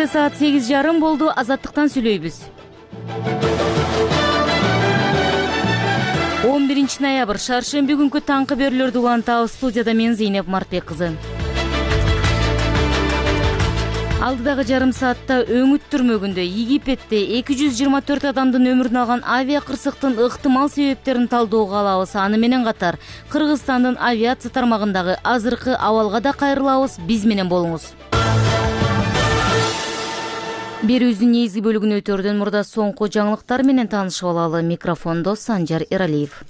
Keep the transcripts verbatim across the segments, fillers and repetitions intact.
Бишкекте саат сегиз жарым болду. Азаттыктан сүйлөйбүз. он биринчи ноябрь шаршемби күнкү таңкы берүүлөрдү улантабыз. Студияда мен Зейнеп Мартбек кызы. Алдыдагы жарым саатта өңүт түрмөгүндө Египетте эки жүз жыйырма төрт адамдын өмүрүн алган авиа кырсыктын ыктымал себептерин талдөөгө алабыз. Аны менен катар Кыргызстандын авиация тармагындагы азыркы абалга да кайрылабыз. Биз менен болуңуз. Берүүбүздүн негизги бөлүгүн өтөрдөн мурда соңку жаңылыктар менен таанышып алалы. Микрофондо Санжар Эралиев.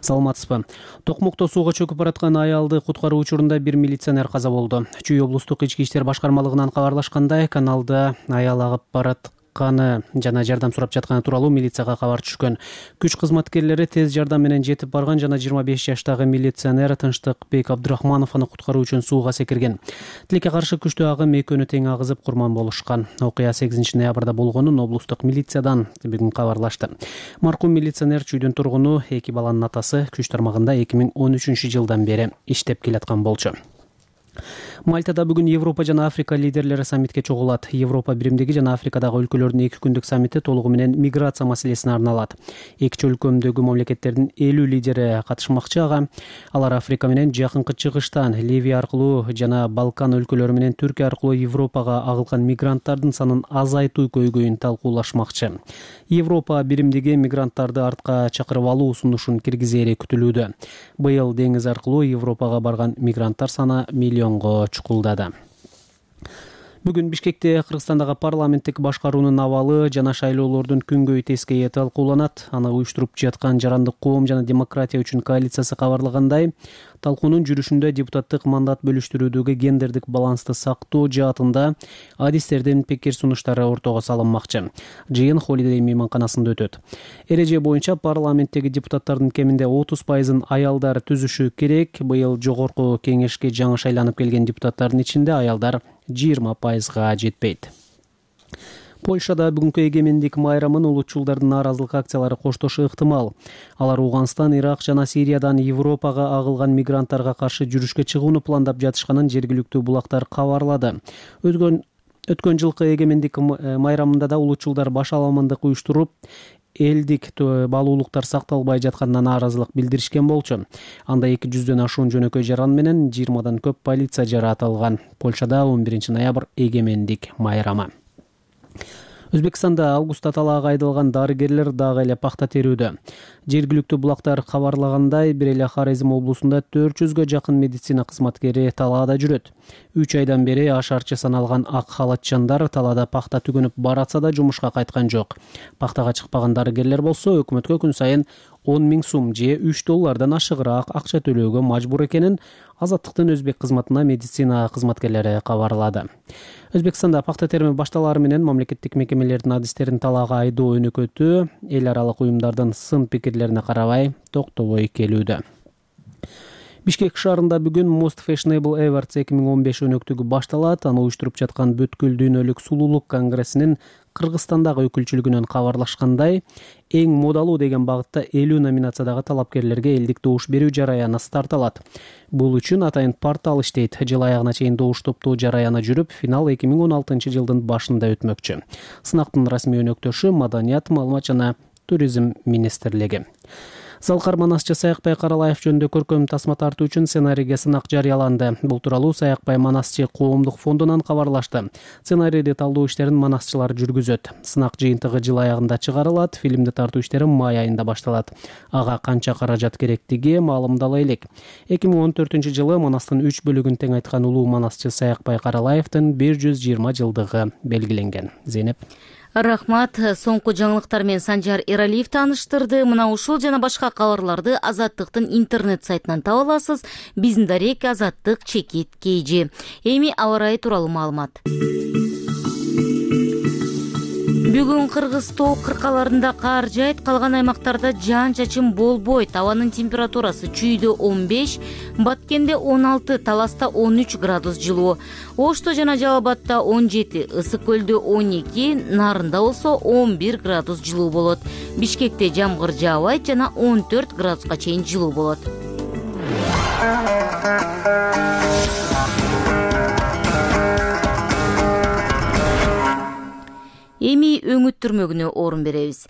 Саламатсызбы. Токмокто сууга чөкүп бараткан аялды куткаруу учурунда бир милиционер каза болду. Чүй облустук ички иштер башкармалыгынан кабарлашкандай, каналда аял агып баратканы жана жардам сурап жатканы тууралуу милицияга кабар түшкөн. Күч кызматкерлери тез жардам менен жетип барган жана жыйырма беш жаштагы милиционер Тынчтыкбек Абдрахманов аны куткаруу үчүн сууга секирген. Тилекке каршы күчтүү агым экөөнү тең агызып курман болушкан. Окуя сегизинчи ноябрда болгонун облустук милициядан бүгүн кабарлашты. Маркум милиционер чүйдүн тургуну, эки баланын атасы, күч тармагында эки миң он үчүнчү жылдан бери иштеп келаткан болчу. Мальтада бүгүн Европа жана Африка лидерлери саммитке чогулат. Европа биримдиги жана Африкадагы өлкөлөрдүн эки күндүк саммити толугу менен миграция маселесине арналат. Эки чөлкөмдөгү мамлекеттердин элүү лидери катышмакчы ага. Алар Африка менен Жакынкы Чыгыштан, Ливия аркылуу жана Балкан өлкөлөрү менен Түркия аркылуу Европага агылган мигранттардын санын азайтуу көйгөйүн талкуулашмакчы. Европа биримдиги мигранттарды артка чакырып алуу сунушун киргизери күтүлүүдө. Быйыл деңиз аркылуу Европага барган мигранттар саны миллионго чукулдады. Бүгүн Бишкекте Кыргызстандагы парламенттик башкаруунун абалы жана шайлоолордун күнгөй тескейи талкууланат. Аны уюштуруп жаткан Жарандык коом жана демократия үчүн коалициясы кабарлагандай, талкуунун жүрүшүндө депутаттык мандат бөлүштүрүүдөгү гендердик балансты сактоо жаатында адистердин пикир сунуштары ортого салынмакчы. Жыйын Холидей мейманканасында өтөт. Эреже боюнча парламенттеги депутаттардын кеминде отуз пайызын аялдар түзүшү керек. Быйыл жогорку кеңешке жаңы шайланып келген депутаттардын ичинде аялдар жыйырма пайызга жетпейт. Польшада бүгүнкү эгемендик майрамын улутчулдардын нааразылык акциялары коштошу ыктымал. Алар Ауганстан, Ирак жана Сириядан Европага агылган мигранттарга каршы жүрүшкө чыгууну пландап жатышканын жергиликтүү булактар кабарлады. Өткөн өткөн жылкы эгемендик майрамында да улутчулдар баш аламандык уюштуруп, элдик баалуулуктар сакталбай жатканына нааразылык билдиришкен болчу. Анда эки жүздөн ашуун жөнөкөй жаран менен жыйырмадан көп полиция жаратылган. Польшада он биринчи ноябрь эгемендик майрамы. Өзбекстанда августта талаага айдалган дарыгерлер дагы эле пахта терүүдө. Жергиликтүү булактар кабарлагандай, бир эле Хорезм облусунда төрт жүзгө жакын медицина кызматкери талаада жүрөт. үч айдан бери ашарчы саналган ак халатчандар талаада пахта түгөнүп баратса да жумушка кайткан жок. Пахтага чыкпаган дарыгерлер болсо өкмөткө күн сайын он миң сум же үч доллардан ашыгыраак акча төлөөгө мажбур экенин Азаттыктын өзбек кызматына медицина кызматкерлери кабарлады. Өзбекстанда пахта терими башталары менен мамлекеттик мекемелердин адистерин талаага айдоо өнөкөтү эл аралык уюмдардын сын пикирлерине карабай токтобой келүүдө. Бишкек шаарында бүгүн Most Fashionable Awards эки миң он беш өнөктүгү башталат. Аны уюштуруп жаткан Бүткүл дүйнөлүк сулуулук конгрессинин Кыргызстандагы өкүлчүлүгүнөн кабарлашкандай, эң модалуу деген багытта элүү номинациядагы талапкерлерге элдик добуш берүү жараяны старт алат. Бул үчүн атайын портал иштейт. Жыл аягына чейин добуш топтоо жараяны жүрүп, финал эки миң он алтынчы жылдын башында өтмөкчү. Сынактын расмий өнөктөшү Маданият, маалымат жана туризм министрлиги. Залкар Манасчы Саякбай Каралаев жөнүндө көркөм тасма тартуу үчүн сценарийге сынак жарыяланды. Бул тууралуу Саякбай Манасчы коомдук фондунан кабарлашты. Сценарийди талдоо иштерин манасчылар жүргүзөт. Сынак жыйынтыгы жыл аягында чыгарылат. Фильмди тартуу иштери май айында башталат. Ага канча каражат керектиги маалымдала элек. эки миң он төртүнчү жылы Манастын үч бөлүгүн тең айткан улуу манасчы Саякбай Каралаевдин бир жүз жыйырма жылдыгы белгиленген. Зейнеп. Рахмат. Соңку жаңылыктар менен Санжар Эралиев тааныштырды. Мына ушул жана башка кабарларды Азаттыктын интернет сайтынан таба аласыз. Биздин дарек Азаттык чекит кейжи. Эми аба ырайы тууралуу маалымат. Бүгүн Кыргыз тоо кыркаларында кар жайт, калган аймактарда жаан-чачын болбойт. Абанын температурасы чүйдө он беш, Баткенде он алты, Таласта он үч градус жылуу. Ошто жана Жалал Абадта он жети, Ысык көлдө он эки, Нарында болсо он бир градус жылуу болот. Бишкекте жамгыр жаабайт жана он төрт градуска чейин жылуу болот. Эми өңүт түрмөгүнө орун беребиз.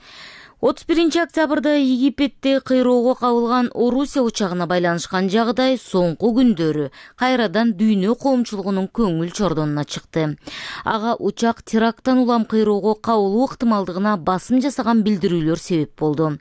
отуз биринчи октябрда Египетте кыйроого кабылган Орусия учагына байланышкан жагдай соңку күндөрү кайрадан дүйнө коомчулугунун көңүл чордонуна чыкты. Ага учак теракттан улам кыйроого кабылуу ыктымалдыгына басым жасаган билдирүүлөр себеп болду.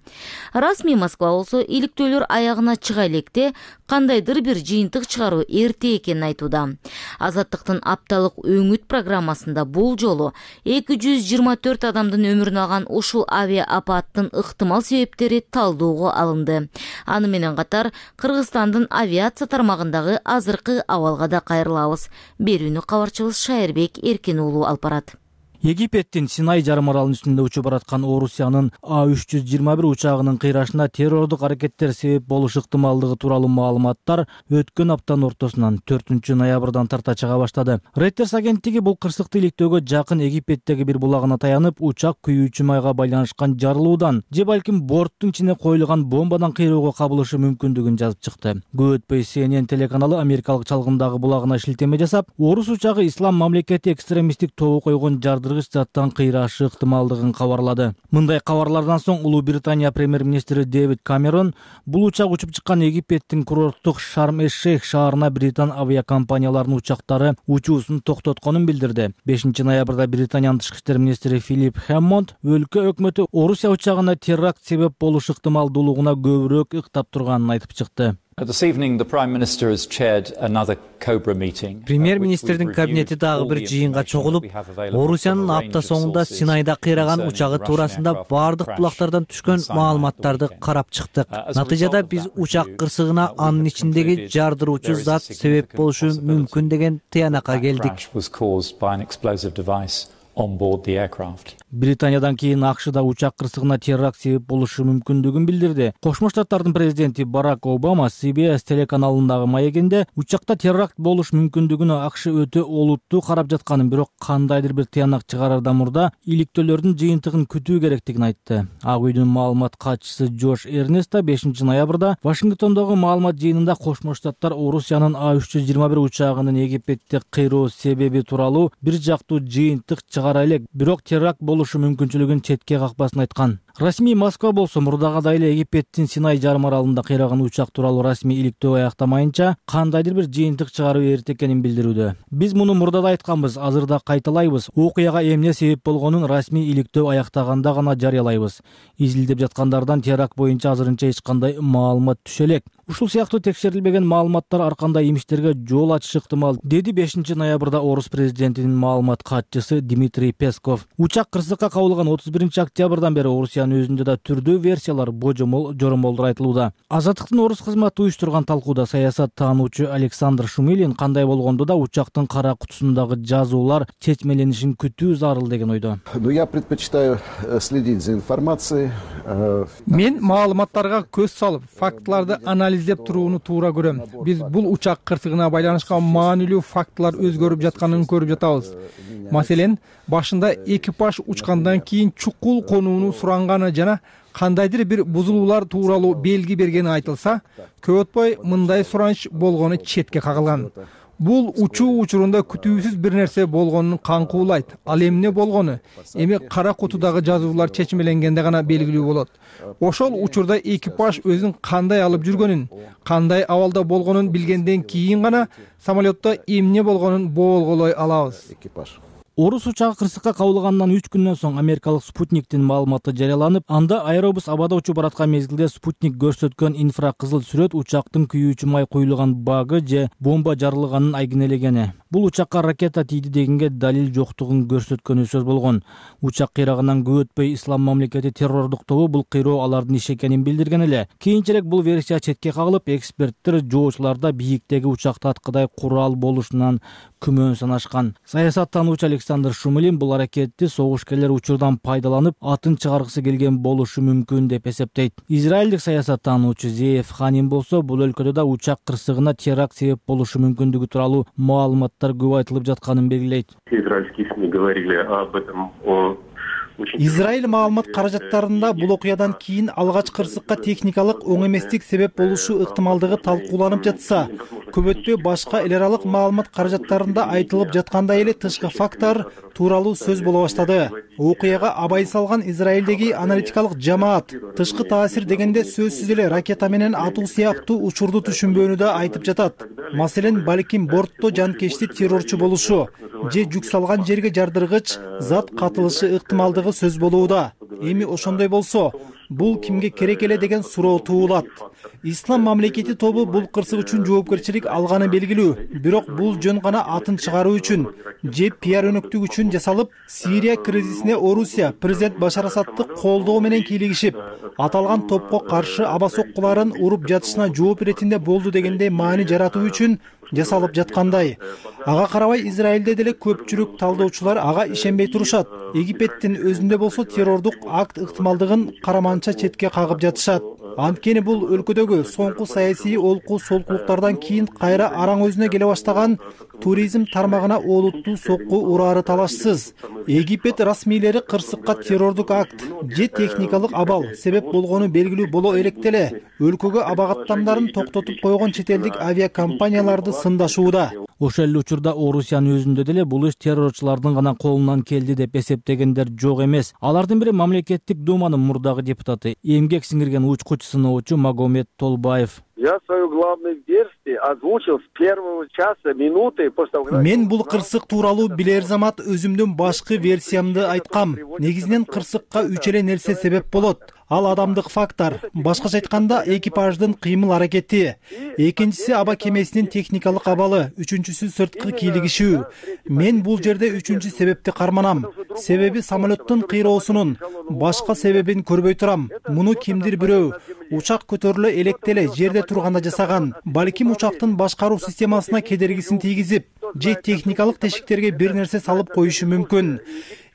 Расмий Москва болсо иликтөөлөр аягына чыга электе кандайдыр бир жыйынтык чыгаруу эрте экенин айтууда. Азаттыктын апталык өңүт программасында бул жолу эки жүз жыйырма төрт адамдын өмүрүн алган ушул авиа апаттын ыктымал себептери талдоого алынды. Аны менен катар Кыргызстандын авиация тармагындагы азыркы абалга да кайрылабыз. Берүүнү кабарчыбыз Шайырбек Эркин уулу алып барат. Египеттин Синай жарым аралынын үстүндө учуп бараткан Орусиянын А үч жүз жыйырма бир учагынын кыйрашына террордук аракеттер себеп болуш ыктымалдыгы тууралуу маалыматтар өткөн аптанын ортосунан төртүнчү ноябрдан тарта чыга баштады. Reuters агенттиги бул кырсыкты иликтөөгө жакын Египеттеги бир булагына таянып, учак күйүүчү майга байланышкан жарылуудан же балким борттун ичине коюлган бомбадан кыйроого кабылышы мүмкүндүгүн жазып чыкты. Көп өтпөй Си Эн Эн телеканалы америкалык чалгымдагы булагына шилтеме жасап, Орус учагы Ислам мамлекети экстремисттик тобу койгон жарды заттан кыйрашы ыктымалдыгын кабарлады. Мындай кабарлардан соң Улуу Британия премьер-министри Дэвид Камерон бул учак учуп чыккан Египеттин курорттук Шарм-эш-Шейх шаарына британ авиакомпанияларынын учактары учуусун токтотконун билдирди. бешинчи ноябрда Британиянын тышкы иштер министри Филипп Хэммонд өлкө өкмөтү Орусия учагына теракт себеп болуш ыктымалдуулугуна көбүрөөк ыктап турганын айтып чыкты. Премьер-министрдин кабинети дагы бир жыйынга чогулуп, Орусиянын апта соңунда Синайда кыйраган учагы туурасында бардык булактардан түшкөн маалыматтарды карап чыктык. Натыйжада биз учак кырсыгына анын ичиндеги жардыруучу зат себеп болушу мүмкүн деген тыянакка келдик. Британиядан кийин АКШ да учак кырсыгына теракт себеп болушу мүмкүндүгүн билдирди. Кошмо Штаттардын президенти Барак Обама Си Би Эс телеканалындагы маегинде учакта теракт болуш мүмкүндүгүнө АКШ өтө олуттуу карап жатканын, бирок кандайдыр бир тыянак чыгарардан мурда иликтөөлөрдүн жыйынтыгын күтүү керектигин айтты. Ак үйдүн маалымат катчысы Джош Эрнест да бешинчи ноябрда Вашингтондогу маалымат жыйынында Кошмо Штаттар Орусиянын А үч жүз жыйырма бир учагынын Египетте кыйроо себеби тууралуу бир жактуу жыйынтык чыгара элек, бирок теракт болушу мүмкүнчүлүгүн четке какпасын айткан. Расмий Москва болсо мурдагыдай эле Египеттин Синай жарым аралында кыйраган учак тууралуу расмий иликтөө аяктамайынча кандайдыр бир жыйынтык чыгаруу эрте экенин билдирүүдө. Биз муну мурда да айтканбыз, азыр да кайталайбыз. Окуяга эмне себеп болгонун расмий иликтөө аяктаганда гана жарыялайбыз. Изилдеп жаткандардан теракт боюнча азырынча эч кандай маалымат түшө элек. Ушул сыяктуу текшерилбеген маалыматтар ар кандай имиштерге жол ачышы ыктымал, деди бешинчи ноябрда Орус президентинин маалымат катчысы Дмитрий Песков. Учак кырсыкка кабылган отуз биринчи октябрдан бери Орусиянын өзүндө да түрдүү версиялар, божомол, жоромолдор айтылууда. Азаттыктын Орус кызматы уюштурган талкууда саясат таануучу Александр Шумилин кандай болгондо да учактын кара кутусундагы жазуулар чечмеленишин күтүү зарыл деген ойдо. Я предпочитаю следить за информацией. Мен маалыматтарга көз салып, фактыларды анализдеп турууну туура көрөм. Биз бул учак кырсыгына байланышкан маанилүү фактылар өзгөрүп жатканын көрүп жатабыз. Маселен, башында экипаж учкандан кийин чукул конууну суранганы жана кандайдыр бир бузулуулар тууралуу белги бергени айтылса, көп өтпөй мындай сураныч болгону четке кагылган. Бул учуу учурунда күтүүсүз бир нерсе болгонун каңкуулайт. Ал эмне болгону эми кара кутудагы жазуулар чечмеленгенде гана белгилүү болот. Ошол учурда экипаж өзүн кандай алып жүргөнүн, кандай абалда болгонун билгенден кийин гана самолетто эмне болгонун боолголой алабыз. Орус учагы кырсыкка кабылгандан үч күндөн соң америкалык Спутниктин маалыматы жарыяланып, анда аэробус абада учуп бараткан мезгилде Спутник көрсөткөн инфракызыл сүрөт учактын күйүүчү май куюлган багы же бомба жарылганын айгинелегени. Бул учакка ракета тийди дегенге далил жоктугун көрсөткөнү сөз болгон. Учак кыйрагынан көп өтпөй Ислам мамлекети террордук тобу бул кыйроо алардын иши экенин билдирген эле. Кийинчерээк бул версия четке кагылып, эксперттер жоочуларда бийиктеги учакта аткыдай курал болушунан күмөн санашкан. Саясаттануучу Александр Шумилин бул аракетти согушкерлер учурдан пайдаланып, атын чыгаргысы келген болушу мүмкүн деп эсептейт. Израилдик саясаттануучу Зеев Ханим болсо, бул өлкөдө да учак кырсыгына теракт себеп болушу мүмкүндүгү тууралуу маалыматтар көп айтылып жатканын белгилейт. Израильские СМИ говорили об этом. Израиль маалымат каражаттарында бул окуядан кийин алгач кырсыкка техникалык оң эместик себеп болушу ыктымалдыгы талкууланып жатса, көп өтпөй башка эл аралык маалымат каражаттарында айтылып жаткандай эле тышкы факттар тууралуу сөз боло баштады. Окуяга абай салган Израилдеги аналитикалык жамаат тышкы таасир дегенде сөзсүз эле ракета менен атуу сыяктуу учурду түшүнбөөнү да айтып жатат. Маселен, балким бортто жанкечти террорчу болушу же жүк салган жерге жардыргыч зат катылышы ыктымалдыгы сөз болууда. Эми ошондой болсо, бул кимге керек эле деген суроо туулат. Ислам мамлекети тобу бул кырсык үчүн жоопкерчилик алганы белгилүү, бирок бул жөн гана атын чыгаруу үчүн же пиар өнөктүк үчүн жасалып, Сирия кризисине Орусия президент Башар Асадты колдоо менен кийлигишип, аталган топко каршы аба соккуларын уруп жатышына жооп иретинде болду дегендей маани жаратуу үчүн жасалып жаткандай. Ага карабай Израилде деле көпчүлүк талдоочулар ага ишенбей турушат. Египеттин өзүндө болсо террордук акт ыктымалдыгын караманча четке кагып жатышат. Анткени бул өлкөдөгү соңку саясий олку солкулуктардан кийин кайра араң өзүнө келе баштаган туризм тармагына олуттуу сокку урары талашсыз. Египет расмийлери кырсыкка террордук акт же техникалык абал себеп болгону белгилүү боло элекделе өлкөгө абагаттамдарын токтотуп койгон чет элдик авиакомпанияларды сындашууда. Ошол эле учурда Орусиянын өзүндө деле бул иш террорчулардын гана колунан келди деп эсептегендер жок эмес. Алардын бири мамлекеттик думанын мурдагы депутаты, эмгек сиңирген учкуч сыноочу Магомед Толбаев. Я свою главную версию озвучил с первого часа, минуты после того. Мен бул кырсык тууралуу билер замат өзүмдүн башкы версиямды айткам. Негизинен кырсыкка үч эле нерсе себеп болот. Ал адамдык фактор, башкача айтканда экипаждын кыймыл аракети, экинчиси аба кемесинин техникалык абалы, үчүнчүсү сырткы кийлигишүү. Мен бул жерде үчүнчү себепти карманам. Себеби самолеттун кыйроосунун башка себебин көрбөй турам. Муну кимдир бирөө учак көтөрүлө электеле жерде турганда жасаган. Балким учактын башкаруу системасына кедергисин тийгизип, же техникалык тешиктерге бир нерсе салып коюшу мүмкүн.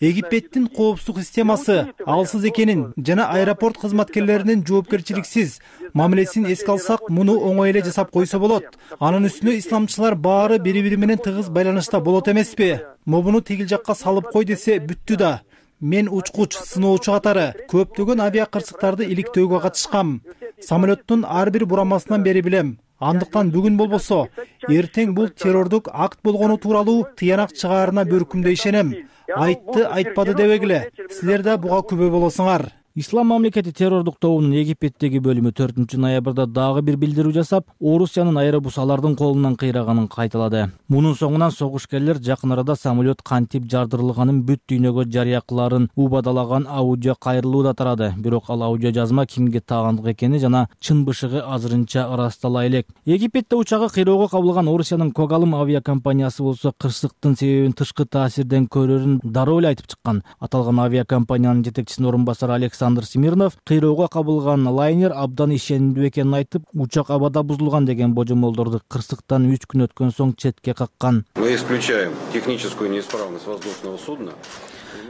Египеттин коопсуздук системасы алсыз экенин жана аэропорт кызматкерлеринин жоопкерчиликсиз мамилесин эске алсак, муну оңой эле жасап койсо болот. Анын үстүнө исламчылар баары бири-бири менен тыгыз байланышта болот эмеспи? Мобуну тигил жакка салып кой десе бүттү да. Мен учкуч, сыноочу катары көптөгөн авиа кырсыктарды иликтөөгө катышкам. Самолеттун ар бир бурамасынан бери билем. Андыктан бүгүн болбосо, эртең бул террордук акт болгону тууралуу тыянак чыгаарына бөркүмдөй ишенем. Айтты, айтпады дебегиле. Силер да буга күбө болосуңар. Ислам мамлекети террордук тобунун Египеттеги бөлүмү төртүнчү ноябрда дагы бир билдирүү жасап, Орусиянын аэробус алардын колунан кыйраганын кайталады. Мунун соңунан согушкерлер жакын арада самолет кантип жардырылганын бүт дүйнөгө жарыя кыларын убадалаган аудио кайрылуу да тарады. Бирок ал аудио жазма кимге таагандык экени жана чын бышыгы азырынча ырастала элек. Египетте учагы кыйроого кабылган Орусиянын Когалым авиакомпаниясы болсо кырсыктын себебин тышкы таасирден көрөрүн дароо эле айтып чыккан. Аталган авиакомпаниянын жетекчисинин орун басары Александр Александр Смирнов кыйроого кабылган лайнер абдан ишенимдүү экенин айтып, учак абада бузулган деген божомолдорду кырсыктан үч күн өткөн соң четке каккан. Мы исключаем техническую неисправность воздушного судна.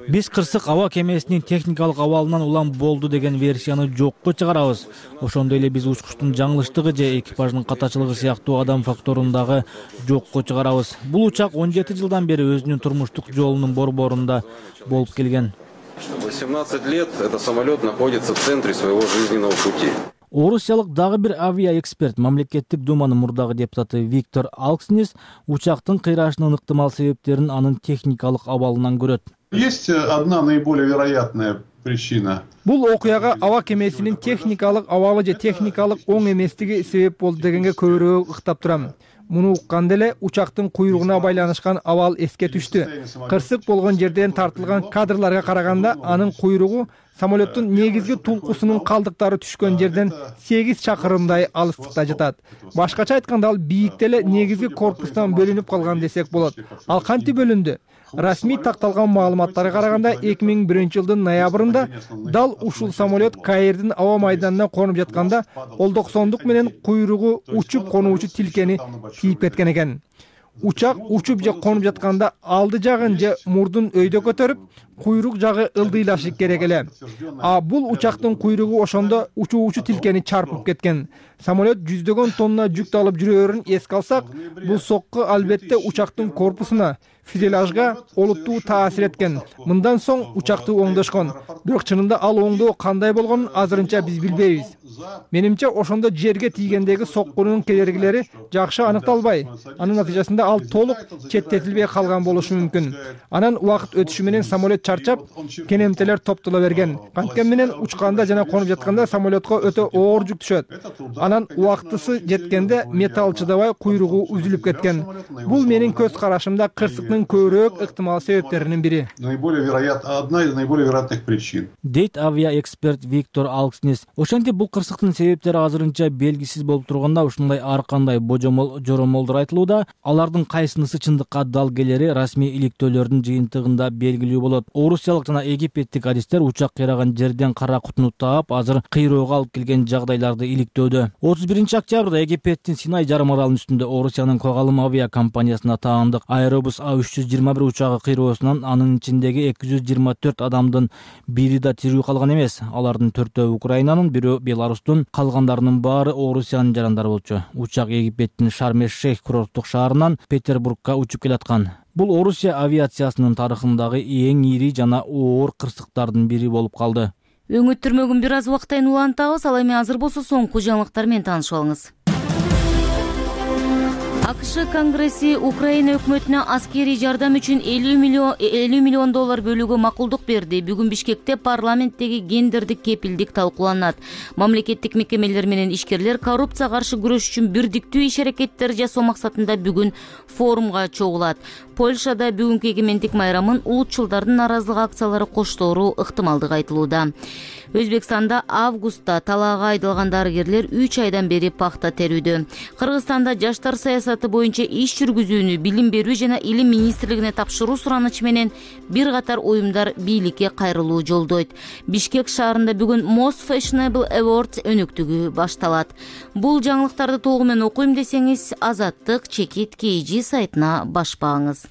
Биз кырсык аба кемесинин техникалык абалынан улам болду деген версияны жокко чыгарабыз. Ошондой эле биз учкучтун жаңылыштыгы же экипаждын катачылыгы сыяктуу адам факторун дагы жокко чыгарабыз. Бул учак он жети жылдан бери өзүнүн турмуштук жолунун борборунда болуп келген. восемнадцать лет этот самолет находится в центре своего жизненного пути. Орусиялык дагы бир авиаэксперт, мамлекеттик думанын мурдагы депутаты Виктор Алкснис учактын кыйрашынын ыктымал себептерин анын техникалык абалынан көрөт. Есть одна наиболее вероятная причина. Бул окуяга аба кемесинин техникалык абалы же техникалык оң эместиги себеп болду дегенге көбүрөөк ыктап турам. Муну укканда эле учактын куйругуна байланышкан абал эске түштү. Кырсык болгон жерден тартылган кадрларга караганда анын куйругу самолеттун негизги тулкусунун калдыктары түшкөн жерден сегиз чакырымдай алыстыкта жатат. Башкача айтканда ал бийикте эле негизги корпустан бөлүнүп калган десек болот. Ал кантип бөлүндү? Расмий такталган маалыматтарга караганда эки миң биринчи жылдын ноябрында дал ушул самолет Каирдин аба майданына конуп жатканда олдоксондук менен куйругу учуп конуучу тилкени тийип кеткен экен. Учак учуп же конуп жатканда алды жагын же мурдун өйдө көтөрүп, куйрук жагы ылдыйлашы керек эле. А бул учактын куйругу ошондо учуучу тилкени чарпып кеткен. Самолет жүздөгөн тонна жүк алып жүрөөрүн эске алсак, бул сокку албетте учактын корпусуна, фюзеляжга олуттуу таасир эткен. Мындан соң учакты оңдошкон. Бирок чынында ал оңдоо кандай болгонун азырынча биз билбейбиз. Менимче ошондо жерге тийгендеги соккунун кедергилери жакшы аныкталбай, анын натыйжасында ал толук четтетилбей калган болушу мүмкүн. Анан убакыт өтүшү менен самолет чарчап, кенемтелер топтоло берген. Канткени менен учканда жана конуп жатканда самолетко өтө оор жүк түшөт. Анан убактысы жеткенде металл чыдабай куйругу үзүлүп кеткен. Бул менин көз карашымда кырсыктын көбүрөөк ыктымал себептеринин бири. Наиболее вероятно, одна из наиболее вероятных причин. Дейт авиаэксперт Виктор Алкснес. Ошентип бул кырсыктын себептери азырынча белгисиз болуп турганда, ушундай ар кандай божомол жоромолдор айтылууда. Алардын кайсынысы чындыкка дал келери расмий иликтөөлөрдүн жыйынтыгында белгилүү болот. Орусиялык жана египеттик адистер учак кыйраган жерден кара кутуну таап, азыр кыйроого алып келген жагдайларды иликтөөдө. отуз биринчи октябрда Египеттин Синай жарым аралынын үстүндө Орусиянын Когалым авиа компаниясына таандык Аэробус А үч жүз жыйырма бир учагы кыйроосунан анын ичиндеги эки жүз жыйырма төрт адамдын бири да тирүү калган эмес. Алардын төртөө Украинанын, бирөө Беларустун, калгандарынын баары Орусиянын жарандары болчу. Учак Египеттин Шарм-эш-Шейх курорттук шаарынан Петербургка учуп келаткан. Бул Орусия авиациясынын тарыхындагы эң ири жана оор кырсыктардын бири болуп калды. Өңүттүрмөгүн бир аз убактан улантабыз, ал эми азыр болсо соңку жаңылыктар менен таанышып алыңыз. АКШ Конгресси Украина өкмөтүнө аскерий жардам үчүн элүү миллион доллар бөлүүгө макулдук берди. Бүгүн Бишкекте парламенттеги гендердик кепилдик талкууланат. Мамлекеттик мекемелер менен ишкерлер коррупцияга каршы күрөш үчүн бирдиктүү иш-аракеттер жасоо максатында бүгүн форумга чогулат. Польшада бүгүнкү эгемендик майрамын улутчулдардын наразылык акциялары коштоору ыктымалдыгы айтылууда. Өзбекстанда августта талаага айдалган дарыгерлер үч айдан бери пахта терүүдө. Кыргызстанда жаштар саясаты боюнча иш жүргүзүүнү Билим берүү жана Илим министрлигине тапшыруу суранычы менен бир катар уюмдар бийликке кайрылуу жолдойт. Бишкек шаарында бүгүн Most Fashionable Awards өнөктүгү башталат. Бул жаңылыктарды толугу менен окуйм десеңиз, Азаттык чекит kg сайтына башпаңыз.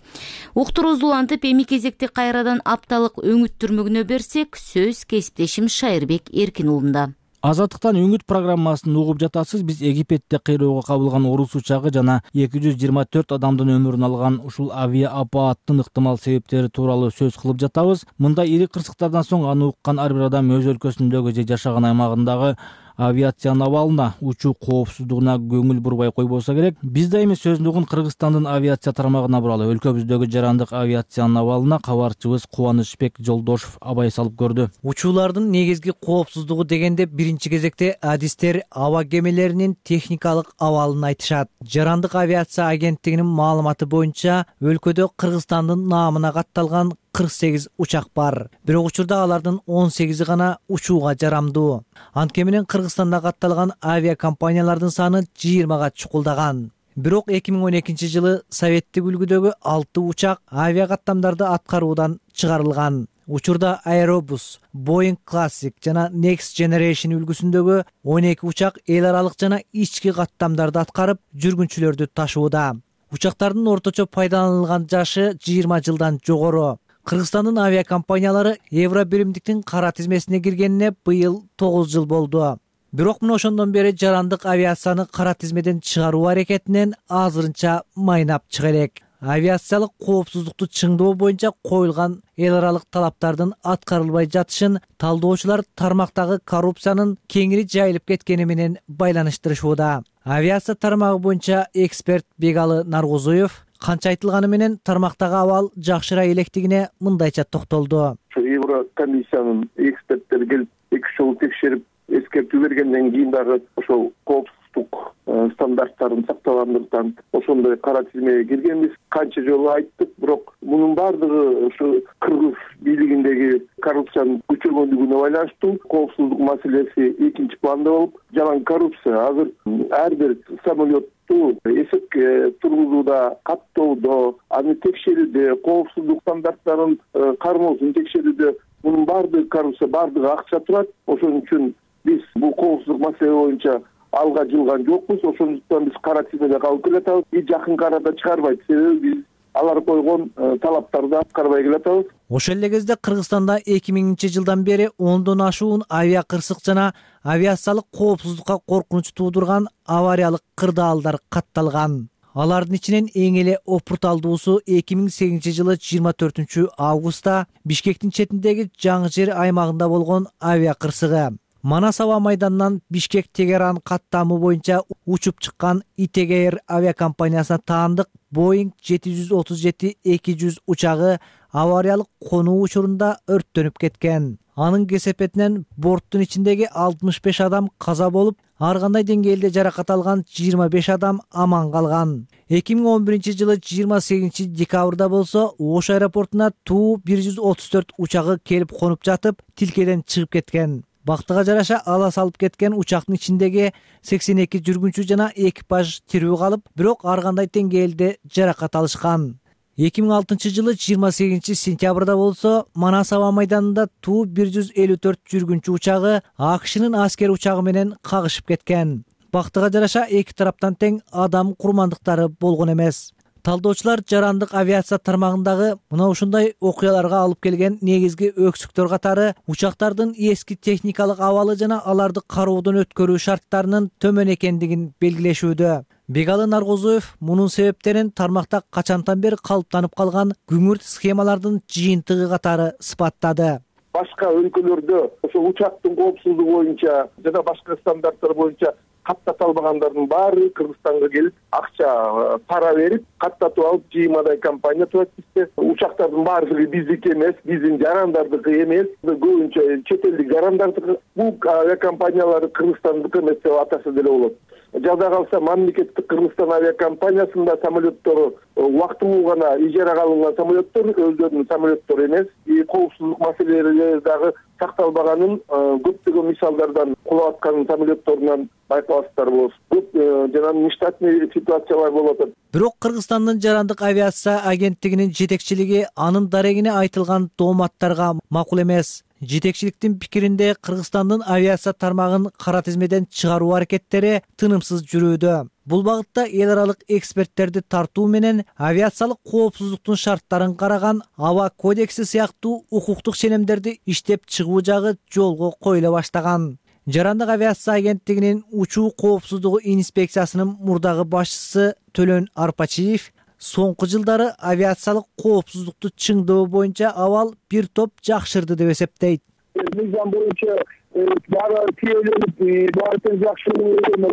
Уктуруубузду улантып, эми кезекти кайрадан апталык өңүттүрмөгүнө берсек, сөз кесиптешим Шайырбек Эркин уулунда. Азаттыктан өңүт программасын угуп жатасыз. Биз Египетте кыйроого кабылган орус учагы жана эки жүз жыйырма төрт адамдын өмүрүн алган ушул авиа апааттын ыктымал себептери тууралуу сөз кылып жатабыз. Мындай ири кырсыктардан соң аны уккан ар бир адам өз өлкөсүндөгү же жашаган аймагындагы авиациянын абалына, учуу коопсуздугуна көңүл бурбай койбосо керек. Биз да эми сөздүгүн Кыргызстандын авиация тармагына буралы. Өлкөбүздөгү жарандык авиациянын абалына кабарчыбыз Кубанычбек Жолдошов абай салып көрдү. Учуулардын негизги коопсуздугу дегенде биринчи кезекте адистер аба кемелеринин техникалык абалын айтышат. Жарандык авиация агенттигинин маалыматы боюнча өлкөдө Кыргызстандын наамына катталган кырк сегиз учак бар. Бирок учурда алардын он сегизи гана учууга жарамдуу. Анткени менен Кыргызстанда катталган авиакомпаниялардын саны жыйырмага чукулдаган. Бирок эки миң он экинчи жылы советтик үлгүдөгү алты учак авиа каттамдарды аткаруудан чыгарылган. Учурда Aerobus, Boeing Classic жана Next Generation үлгүсүндөгү он эки учак эл аралык жана ички каттамдарды аткарып, жүргүнчүлөрдү ташууда. Учактардын орточо пайдаланылган жашы жыйырма жылдан жогору. Кыргызстандын авиакомпаниялары Евробиримдиктин кара тизмесине киргенине быйыл тогуз жыл болду. Бирок мына ошондон бери жарандык авиацияны кара тизмеден чыгаруу аракетинен азырынча майнап чыга элек. Авиациялык коопсуздукту чыңдоо боюнча коюлган эл аралык талаптардын аткарылбай жатышын талдоочулар тармактагы коррупциянын кеңири жайылып кеткени менен байланыштырышууда. Авиация тармагы боюнча эксперт Бегалы Наргозуев канча айтылганы менен тармактагы абал жакшыра электигине мындайча токтолду. Еврокомиссиянын эксперттери келип эки үч жолу текшерип эскертүү бергенден кийин дагы ошол коопсуздук стандарттарын сактагандыктан ошондой кара тизмеге киргенбиз. Канча жолу айттык, бирок мунун баардыгы ушу кыргыз бийлигиндеги коррупциянын күчөгөндүгүнө байланыштуу. Коопсуздук маселеси экинчи планда болуп, жалаң коррупция азыр ар бир самолетту эсепке тургузууда, каттоодо, аны текшерүүдө, коопсуздук стандарттарын кармоосун текшерүүдө мунун баардыгы коррупция, баардыгы акча турат. Ошон үчүн биз бул коопсуздук маселе боюнча алга жылган жокпуз. Ошондуктан биз кара тизмеде калып келатабыз. Биз жакын арада чыгарбайт. Себеби биз алар койгон талаптарды аткарбай келатабыз. Ошол эле кезде Кыргызстанда эки миңинчи жылдан бери ондон ашуун авиа кырсык жана авиациялык коопсуздукка коркунуч туудурган авариялык кырдаалдар катталган. Алардын ичинен эң эле опурталдуусу эки миң сегизинчи жылы жыйырма төртүнчү августта Бишкектин четиндеги Жаңы жер аймагында болгон авиа кырсыгы. Манас аба майданынан Бишкек Тегеран каттамы боюнча учуп чыккан ИТГ авиакомпаниясына таандык Боинг жети жүз отуз жети эки жүз учагы авариялык конуу учурунда өрттөнүп кеткен. Анын кесепетинен борттун ичиндеги алтымыш беш адам каза болуп, ар кандай деңгээлде жаракат алган жыйырма беш адам аман калган. эки миң он биринчи жылы жыйырма сегизинчи декабрда болсо Ош аэропортуна Ту бир жүз отуз төрт учагы келип конуп жатып, тилкеден чыгып кеткен. Бактыга жараша ала салып кеткен учактын ичиндеги сексен эки жүргүнчү жана экипаж тирүү калып, бирок ар кандай деңгээлде жаракат алышкан. эки миң алтынчы жылы жыйырма сегизинчи сентябрда болсо Манас аба майданында Ту бир жүз элүү төрт жүргүнчү учагы АКШнын аскер учагы менен кагышып кеткен. Бактыга жараша эки тараптан тең адам курмандыктары болгон эмес. Талдоочулар жарандык авиация тармагындагы мына ушундай окуяларга алып келген негизги өксүктөр катары учактардын эски техникалык абалы жана аларды кароодон өткөрүү шарттарынын төмөн экендигин белгилешүүдө. Бегалы Наргозуев мунун себептерин тармакта качантан бери калыптанып калган күңүрт схемалардын жыйынтыгы катары сыпаттады. Башка өлкөлөрдө ошо учактын коопсуздугу боюнча жана башка стандарттар боюнча каттата албагандардын баары Кыргызстанга келип, акча пара берип, каттатып алып, жыймадай компания турат бизде. Учактардын баардыгы биздики эмес, биздин жарандардыкы эмес, көбүнчө чет элдик жарандардыкы. Бул авиакомпаниялар Кыргызстандыкы эмес деп атаса деле болот. Жада калса мамлекеттик Кыргызстан авиакомпаниясында самолеттор убактылуу гана ижарага алынган самолеттор, өздөрүнүн самолеттору эмес. Коопсуздук маселелери дагы сакталбаганын көптөгөн мисалдардан кулап аткан самолетторунан байкаласыздар болосуз. Көп жана нештатный ситуациялар болуп атат. Бирок Кыргызстандын жарандык авиация агенттигинин жетекчилиги анын дарегине айтылган тооматтарга макул эмес. Жетекчиликтин пикиринде Кыргызстандын авиация тармагын кара тизмеден чыгаруу аракеттери тынымсыз жүрүүдө. Бул багытта эл аралык эксперттерди тартуу менен авиациялык коопсуздуктун шарттарын караган аба кодекси сыяктуу укуктук ченемдерди иштеп чыгуу жагы жолго коюла баштаган. Жарандык авиация агенттигинин учуу коопсуздугу инспекциясынын мурдагы башчысы Төлөн Арпачиев соңку жылдары авиациялык коопсуздукту чыңдоо боюнча абал бир топ жакшырды деп эсептейт. Мыйзам боюнча баары тийеленип, баары тең жакшы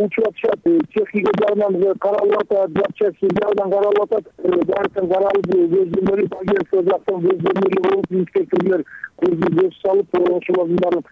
учуп атышат, техника жагынан каралып атат, запчасти жагынан каралып атат, баары тең каралып, көздөмөлүп, агенттик жактан көздөмөлүп болуп, инспекторлор көз салып, ошолордун баарын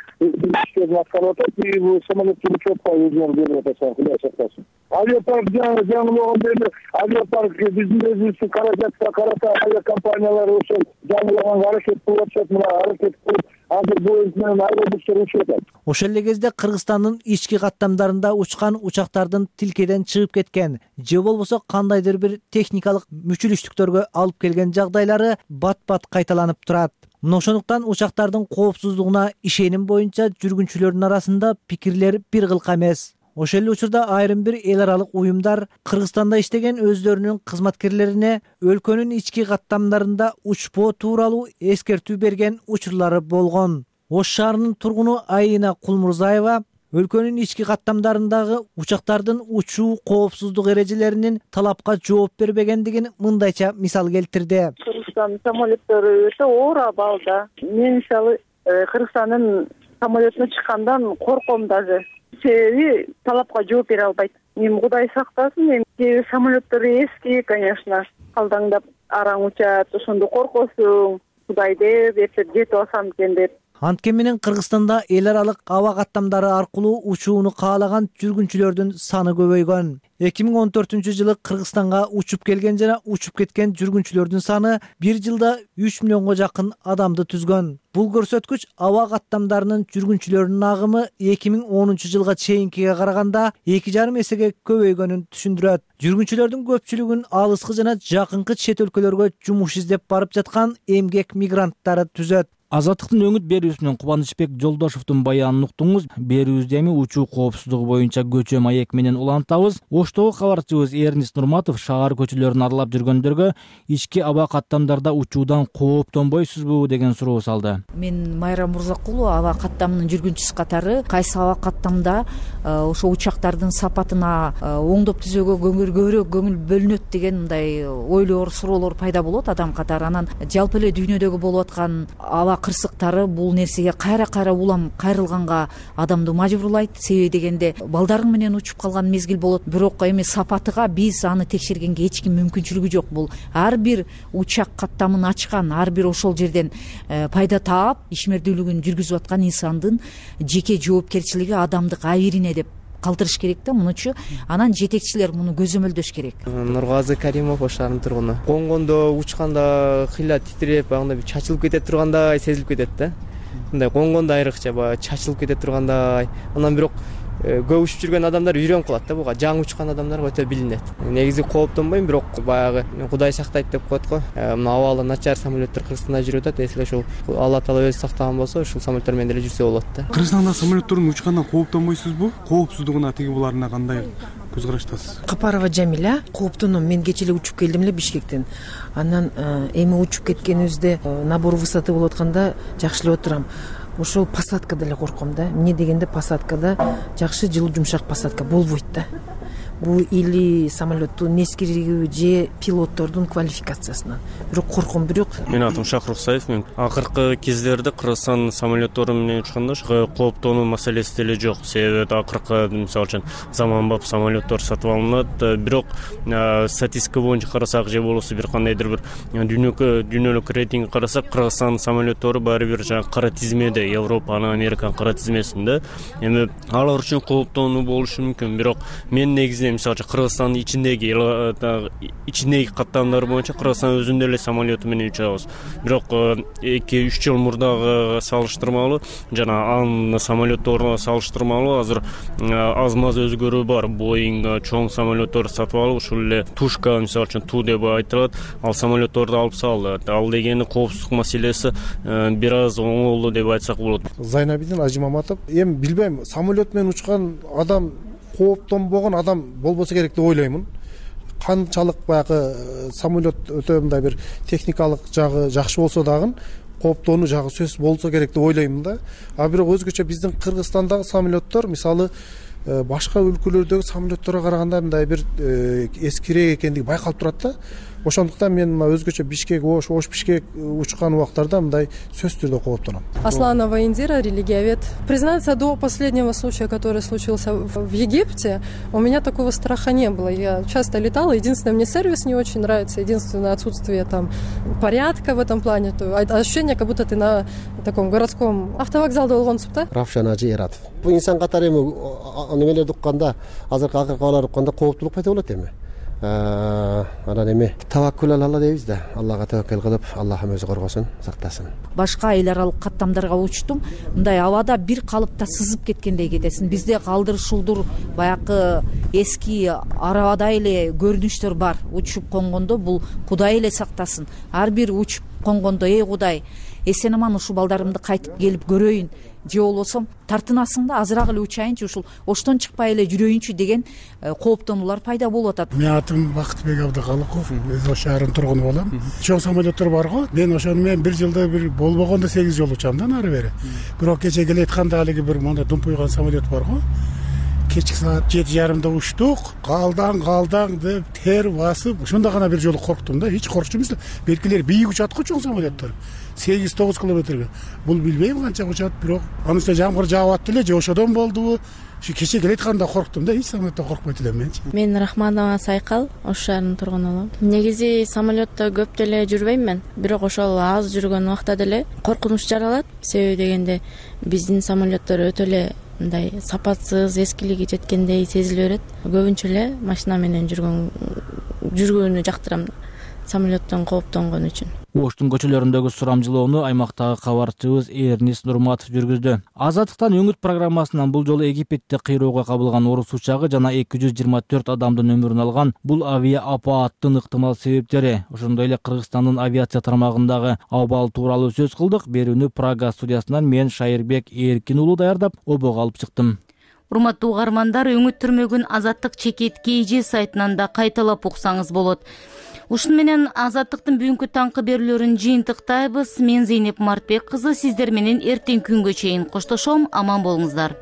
иштерин аткарып атат, бул самолеттин учетко өзүнө берип атат, Кудай сактасын. Авиапарк жаңылган эле, авиапарк биздин өзүбүздүн каражатка карата авиакомпаниялар ошол жаңылаганга аракет кылып атышат, мына аракет кылып азыр Боинг менен автобустар учуп атат. Ошол эле кезде Кыргызстандын ички каттамдарында учкан учактардын тилкеден чыгып кеткен же болбосо кандайдыр бир техникалык мүчүлүштүктөргө алып келген жагдайлары бат-бат кайталанып турат. Мына ошондуктан учактардын коопсуздугуна ишеним боюнча жүргүнчүлөрдүн арасында пикирлер бир кылка эмес. Ошол эле учурда айрым бир эл аралык уюмдар Кыргызстанда иштеген өздөрүнүн кызматкерлерине өлкөнүн ички каттамдарында учпоо тууралуу эскертүү берген учурлары болгон. Ош шаарынын тургуну Айына Кулмурзаева өлкөнүн ички каттамдарындагы учактардын учуу коопсуздук эрежелеринин талапка жооп бербегендигин мындайча мисал келтирди. Кыргызстандын самолеттору өтө оор абалда. Мен мисалы Кыргызстандын самолетине чыккандан корком даже. Себеби талапка жооп бере албайт. Эми Кудай сактасын, эми кээ бир самолеттор эски, конечно, калдаңдап араң учат, ошондо коркосуң, Кудай деп, эртең жетип алсам экен деп. Анткен менен Кыргызстанда эл аралык аба каттамдары аркылуу учууну каалаган жүргүнчүлөрдүн саны көбөйгөн. эки миң он төртүнчү жылы Кыргызстанга учуп келген жана учуп кеткен жүргүнчүлөрдүн саны бир жылда үч миллионго жакын адамды түзгөн. Бул көрсөткүч аба каттамдарынын жүргүнчүлөрүнүн агымы эки миң онунчу жылга чейинкиге караганда эки жарым эсеге көбөйгөнүн түшүндүрөт. Жүргүнчүлөрдүн көпчүлүгүн алыскы жана жакынкы чет өлкөлөргө жумуш издеп барып жаткан эмгек мигранттары түзөт. Азаттыктын өңүт берүүсүнөн Кубанычбек Жолдошовдун баянын уктуңуз. Берүүбүздү эми учуу коопсуздугу боюнча көчө маек менен улантабыз. Оштогу кабарчыбыз Эрнис Нурматов шаар көчөлөрүн аралап жүргөндөргө ички аба каттамдарда учуудан кооптонбойсузбу деген суроо салды. Мен Майра Мурзакулова, аба каттамынын жүргүнчүсү катары кайсы аба каттамда ошо учактардын сапатына оңдоп түзөөгө көбүрөөк көңүл бөлүнөт деген мындай ойлор, суроолор пайда болот адам катары. Анан жалпы эле дүйнөдөгү болуп аткан аба кырсыктары бул нерсеге кайра-кайра улам кайрылганга адамды мажбурлайт. Себеби дегенде балдарың менен учуп калган мезгил болот, бирок эми сапатыга биз аны текшергенге эч ким мүмкүнчүлүгү жок. Бул ар бир учак каттамын ачкан, ар бир ошол жерден пайда таап ишмердүүлүгүн жүргүзүп аткан инсандын жеке жоопкерчилиги адамдык абийирине деп калтырыш керек да. Мунучу анан жетекчилер муну көзөмөлдөш керек. Нургазы Каримов, Ош шаарынын тургуну. Коңгондо учканда кыйла титиреп, анда бир чачылып кете тургандай сезилип кетет да. Мындай коңгондо айрыкча баягы чачылып кете тургандай. Анан бирок көп учуп жүргөн адамдар үйрөнүп калат да, буга жаңы учкан адамдарга өтө билинет. Негизи кооптонбойм, бирок баягы Кудай сактайт деп коет го. Мына абалы начар самолеттер Кыргызстанда жүрүп атат. Эсиле ошол Алла Таала өзү сактаган болсо, ушул самолеттер менен деле жүрсө болот да. Кыргызстанда самолеттердин учкандан кооптонбойсузбу? Коопсуздугуна тиги буларына кандай көз караштасыз? Капарова Жамиля. Кооптоном. Мен кече эле учуп келдим эле Бишкектен. Анан эми учуп кеткенибизде набор высоты болуп атканда жакшылап отурам. Ошол посадкада эле корком да. Эмне дегенде посадкада жакшы жылуу жумшак посадка болбойт да. Бул или самолеттун нескиригиби же пилоттордун квалификациясынан. Бирок корком. Бирок Менин атым Шакыр Руксаев. Мен акыркы кездерде Кыргызстан самолеттори менен учканда кооптонуу маселеси деле жок. Себеби акыркы мисалы үчүн заманбап самолеттор сатып алынат. Бирок статистика боюнча карасак же болбосо бир кандайдыр бир дүйнөлүк рейтинг карасак, Кыргызстан самолеттору баары бир жаңы кара тизмеде, Европанын, Американын кара тизмесинде. Эми алар үчүн кооптонуу болушу мүмкүн. Бирок мен негизи мисалы үчүн Кыргызстандын ичиндеги ичиндеги каттамдар боюнча Кыргызстан өзүнүн эле самолету менен учабыз. Бирок эки үч жыл мурдагы салыштырмалуу жана анын самолетторуна салыштырмалуу азыр аз маз өзгөрүү бар. Боинг чоң самолетторду сатып алып, ушул эле Тушка мисалы үчүн Ту деп айтылат, ал самолетторду алып салды. Ал дегени коопсуздук маселеси бир аз оңолду деп айтсак болот. Зайнабидин Ажимаматов. Эми билбейм, самолет менен учкан адам кооптонбогон адам болбосо керек деп ойлоймун. Канчалык баягы самолет өтө мындай бир техникалык жагы жакшы болсо дагы кооптонуу жагы сөз болсо керек деп ойлоймун да. А бирок өзгөчө биздин Кыргызстандагы самолеттор мисалы башка өлкөлөрдөгү самолетторго караганда мындай бир эскирээк экендиги байкалып турат да. Ошондуктан мен мына өзгөчө Бишкек, Ош, Ош Бишкек учкан убактарда мындай сөзсүз түрдө кооптоном. Асланова Индира, религиовед. Признаться, до последнего случая, который случился в Египте, у меня такого страха не было. Я часто летала. Единственное, мне сервис не очень нравится. Единственное, отсутствие там порядка в этом плане. Ощущение, как будто ты на таком городском автовокзалда болгонсуң да. Равшан Ажи Эратов. Бул инсан катары эми немелерди укканда, азыркы акыркалар укканда кооптулук пайда болот эми. Анан эми таваккул алла дейбиз да. Аллага таваккул кылып, Аллахым өзү коргосун, сактасын. Башка эл аралык каттамдарга учтум. Мындай абада бир калыпта сызып кеткендей кетесиң. Бизде калдыр шулдур баягы эски арабадай эле көрүнүштөр бар. Учуп конгондо бул Кудай эле сактасын. Ар бир учуп конгондо эй Кудай, эсен аман ушул балдарымды кайтып келип көрөйүн, же болбосо тартынасың да азыраак эле учайынчы, ушул Оштон чыкпай эле жүрөйүнчү деген кооптонуулар пайда болуп атат. Менин атым Бактыбек Абдыкалыков, өз Ош шаарынын тургуну болом. Чоң самолеттор бар го. Мен ошону менен бир жылда бир болбогондо сегиз жолу учам да нары бери. Бирок кече келетканда алиги бир монда думпуйган самолет бар го. Кечки саат жети жарымда учтук, калдаң калдаң деп тер басып, ошондо гана бир жолу корктум да. Эч коркчу эмес. Белгилери бийик учат го чоң самолеттор. сегиз тогуз километрге. Бул билбейм канча учат, бирок анын үстүнө жамгыр жаап атты эле, же ошодон болдубу? Ушу кече келетканда корктум да, эч самолеттен коркпойт элем менчи. Мен Рахманова Сайкал, Ош шаарынын тургуну болом. Негизи самолетто көп деле жүрбөйм мен, бирок ошол аз жүргөн убакта деле коркунуч жаралат. Себеби дегенде биздин самолеттор өтө эле мындай сапатсыз, эскилиги жеткендей сезиле берет. Көбүнчө эле машина менен жүргөн жүргөнү жактырам. самолеттон кооптонгон үчүн. Оштун көчөлөрүндөгү сурамжылоону аймактагы кабарчыбыз Эрнис Нурматов жүргүздү. Азаттыктан өңүт программасынан бул жолу Египетте кыйроого кабылган орус учагы жана эки жүз жыйырма төрт адамдын өмүрүн алган бул авиа апааттын ыктымал себептери, ошондой эле Кыргызстандын авиация тармагындагы абал тууралуу сөз кылдык. Берүүнү Прага студиясынан мен Шайырбек Эркин уулу даярдап, обого алып чыктым. Урматтуу угармандар, өңүттүрмөгүн Азаттык чекит kg сайтынан да кайталап уксаңыз болот. Ушун менен Азаттыктын бүгүнкү таңкы берүүлөрүн жыйынтыктайбыз. Мен Зейнеп Мартбек кызы сиздер менен эртең күнгө чейин коштошом. Аман болуңуздар.